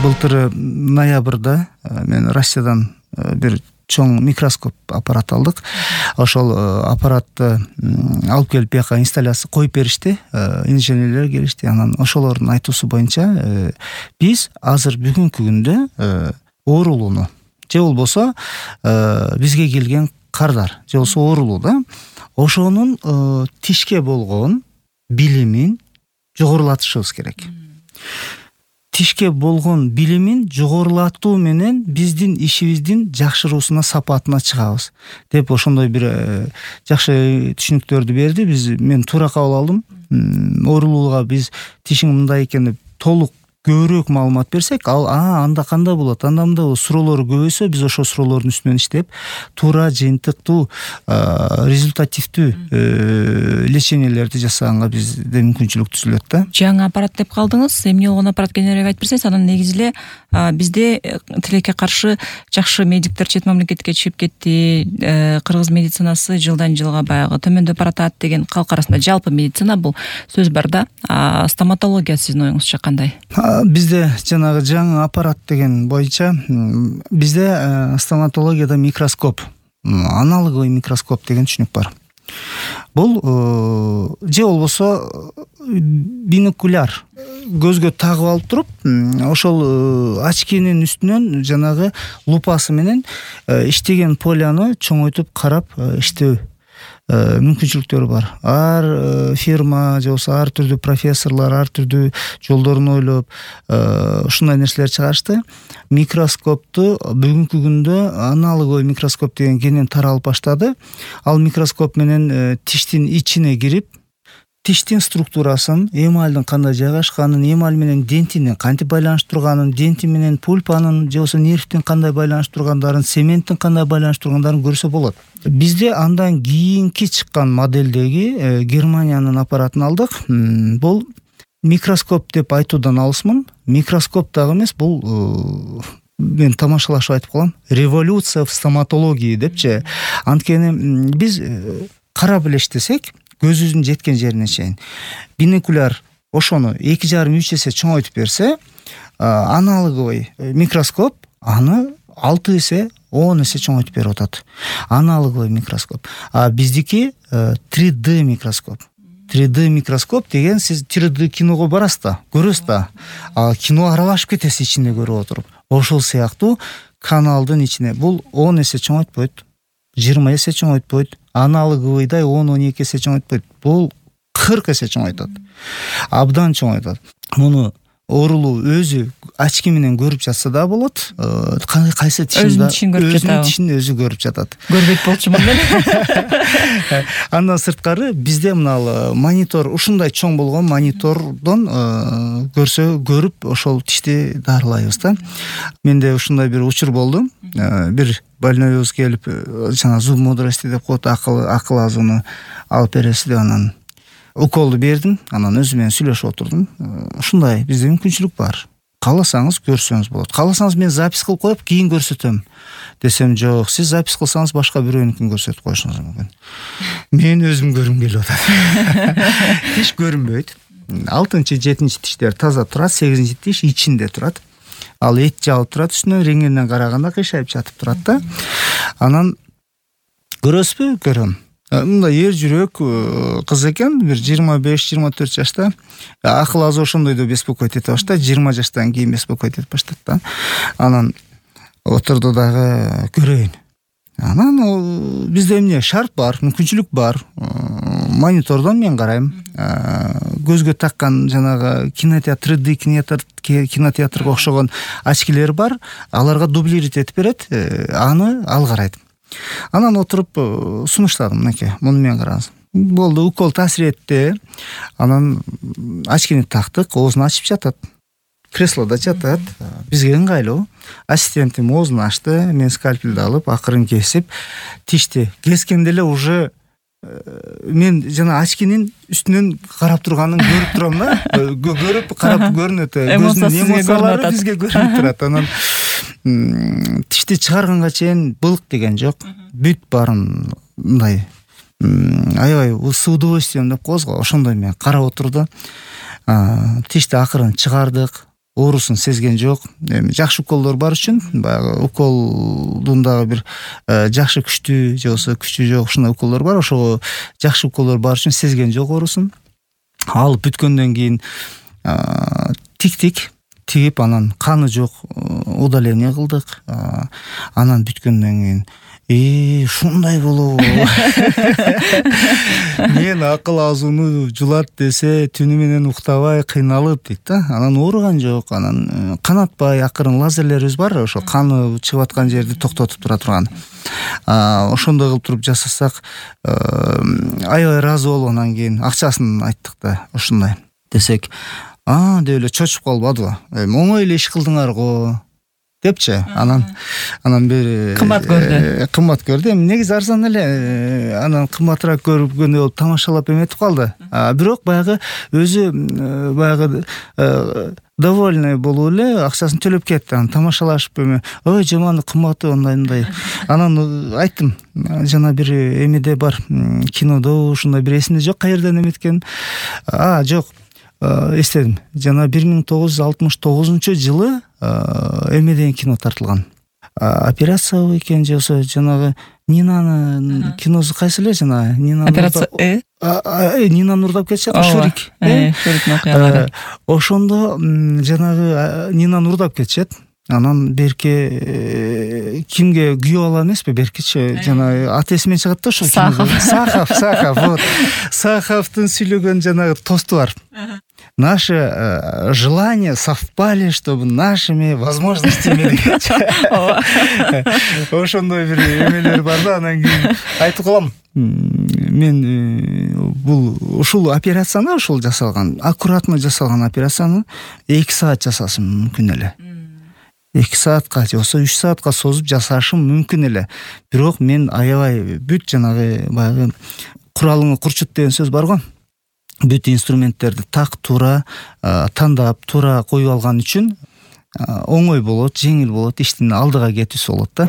Былтыр ноябрда мен Россиядан бир чоң микроскоп аппарат алдык. Ошол аппаратты алып келип бияка инсталляция коюп беришти. Инженерлер келишти. Анан ошолордун айтуусу боюнча биз азыр бүгүнкү күндө оорулууну же болбосо бизге келген кардар же болбосо оорулуу да ошонун тишке болгон билимин жогорулатышыбыз керек. Тишке болгон билимин жогорулатуу менен биздин ишибиздин жакшыруусуна, сапатына чыгабыз деп ошондой бир жакшы түшүнүктөрдү берди. Мен туура кабыл алдым. Оорулууга биз тишиң мындай экен деп толук көбүрөөк маалымат берсек, анда кандай болот, анда мындай суроолор көбөйсө, биз ошол суроолордун үстүнөн иштеп, туура, жыйынтыктуу, результативдүү лечениелерди жасаганга бизде мүмкүнчүлүк түзүлөт да. Жаңы аппарат деп калдыңыз. Эмне болгон аппарат кененирээк айтып берсеңиз, анан негизи эле бизде тилекке каршы жакшы медиктер чет мамлекетке чыгып кетти. Кыргыз медицинасы жылдан жылга баягы төмөндөп баратат деген калк арасында жалпы медицина бул сөз бар да. Стоматология сиздин оюңузча кандай? Бизде жанагы жаңы аппарат деген боюнча бизде стоматологияда микроскоп, аналоговый микроскоп деген түшүнүк бар. Бул же болбосо бинокуляр көзгө тагып алып туруп, ошол очкинин үстүнөн жанагы лупасы менен иштеген поляны чоңойтуп карап иштөө мүмкүнчүлүктөрү бар. Ар фирма же болбосо ар түрдүү профессорлор ар түрдүү жолдорун ойлоп ушундай нерселер чыгарышты. Микроскопту бүгүнкү күндө аналоговый микроскоп деген кенен таралып баштады. Ал микроскоп менен тиштин ичине кирип, тиштин структурасын, эмальдын кандай жайгашканын, эмаль менен дентини кантип байланыштырганын, денти менен пульпанын же болбосо нервтин кандай байланыштыргандарын, цементтин кандай байланыштыргандарын көрсө болот. Бизде андан кийинки чыккан модельдеги Германиянын аппаратын алдык. Бул микроскоп деп айтуудан алысмын. Микроскоп дагы эмес, бул мен тамашалашып айтып калам. Революция в стоматологии депчи. Анткени биз карап эле иштесек, көзүбүздүн жеткен жерине чейин бинокуляр ошону 2,5-3 эсе чоңойтуп берсе, аналоговый микроскоп аны 6 эсе 10 эсе чоңойтуп берип атат. Аналоговый микроскоп. А биздики 3D микроскоп. 3D микроскоп деген сиз 3D киного барасыз да, көрөсүз да. Кино аралашып кетесиз ичинде көрүп отуруп. Ошол сыяктуу каналдын ичине бул 10 эсе чоңойтпойт, 20 эсе чоңойтпойт, аналоговыйдай 10-12 эсе чоңойтпойт. Бул 40 эсе чоңойтат. Абдан чоңойтат. Муну оорулуу өзү очки менен көрүп жатса да болот. Кайсы тишинде өзүнүн тишин өзү көрүп жатат. Көрбөйт болчумун мен. Андан сырткары бизде мына монитор, ушундай чоң болгон монитордон көрүп ошол тишти дарылайбыз да. Менде ушундай бир учур болду. Бир больнойубуз келип, жана зуб мудрости деп коет, акыл азууну алып бересиз деп, анан уколду бердим, анан өзү менен сүйлөшүп отурдум. Ушундай бизде мүмкүнчүлүк бар. Кааласаңыз көрсөңүз болот. Кааласаңыз мен запись кылып коюп, кийин көрсөтөм десем, жок, сиз запись кылсаңыз башка бирөөнүкүн көрсөтүп коюшуңуз мүмкүн. Мен өзүм көрүм келип атат. Тиш көрүнбөйт. 6-7 тиштер таза турат, 8 тиш ичинде турат. Ал эт жабып турат, үстүнөн рентгенден караганда кыйшайып жатып турат да. Анан көрөсүзбү? Көрөм. Мындай эр жүрөк кыз экен, бир 25-24 жашта. Акыл азуу ошондойдо беспокоить эте баштайт, 20 жаштан кийин беспокоить этип баштайт да. Анан отурду дагы көрөйүн. Анан бизде эмне шарт бар, мүмкүнчүлүк бар. Монитордон мен карайм. Көзгө таккан жанагы кинотеатр, 3D кинотеатрга окшогон очкилер бар. Аларга дублировать этип берет, аны ал карайт. Анан отуруп сунуштадым, мынакей, муну мен караңыз. Болду, укол таасир этти. Анан очкини тактык, оозун ачып жатат. Креслода жатат. Бизге ыңгайлуу. Ассистентим оозун ачты, мен скальпелди алып, акырын кесип, тишти кескенде эле уже мен жана очкинин үстүнөн карап турганын көрүп турам да. Көрүп, карап көрүнөт. Көзүнүн эмоциялары бизге көрүнүп турат. Анан тишти чыгарганга чейин былык деген жок. Бүт баарын мындай аябай с удовольствием деп коебуз го, ошондой мен карап отурду. Тишти акырын чыгардык. оорусун сезген жок. Эми жакшы уколдор бар үчүн баягы уколдун дагы бир жакшы күчтүү же болбосо күчү жок ушундай уколдор бар. Ошого жакшы уколдор бар үчүн сезген жок оорусун. Алып бүткөндөн кийин тигип анан каны жок удаление кылдык. Анан бүткөндөн кийин ушундай болобу? Мен акыл азууну жулат десе түнү менен уктабай кыйналып дейт да. Анан ооруган жок. Анан канатпай акырын лазерлерибиз бар, ошо каны чыгып аткан жерди токтотуп тура турган. Ошондой кылып туруп жасасак аябай ыраазы болуп анан кийин акчасын айттык да. Ушундай десек, деп эле чочуп калбадыбы? Оңой эле иш кылдыңар го депчи. Анан бир кымбат көрдү. Эми негизи арзан эле, анан кымбатыраак көргөндөй болуп тамашалап эметип калды. Бирок баягы өзү баягы довольный болуп эле акчасын төлөп кетти. Анан тамашалашып ой жаман кымбаты ондай. Анан айттым, жана бир эмеде бар, кинодо ушундай бир эсимде жок каерден эметкен. Жок. Эстедим. Жана 1969-жылы эмеден кино тартылган. Операция экен же болсо жанагы Нинанын киносу кайсы эле жана Нина операция Нинаны урдап кетишет, Шурик. Шуриктин окуялары. Ошондо жанагы Нинаны урдап кетишет. Анан берке кимге күйөө ала эмеспи, беркичи жанагы аты эсимен чыгат да, ошо Сахов. Вот. Саховдун сүйлөгөн жанагы тосту бар. Наши желания совпали, чтобы нашими возможностями дегенчи. Ошондой бир эмелер бар да. Анан кийин айтып калам, мен ушул операцияны, ушул жасалган, аккуратно жасалган операцияны 2 саат жасашым мүмкүн эле. 2 саатка же болсо 3 саатка созуп жасашым мүмкүн эле. Бирок мен аябай бүт жанагы баягы куралыңы курчут деген сөз бар го. Бүт инструменттерди так туура тандап, туура коюп алган үчүн оңой болот, жеңил болот, иштин алдыга кетүүсү болот да.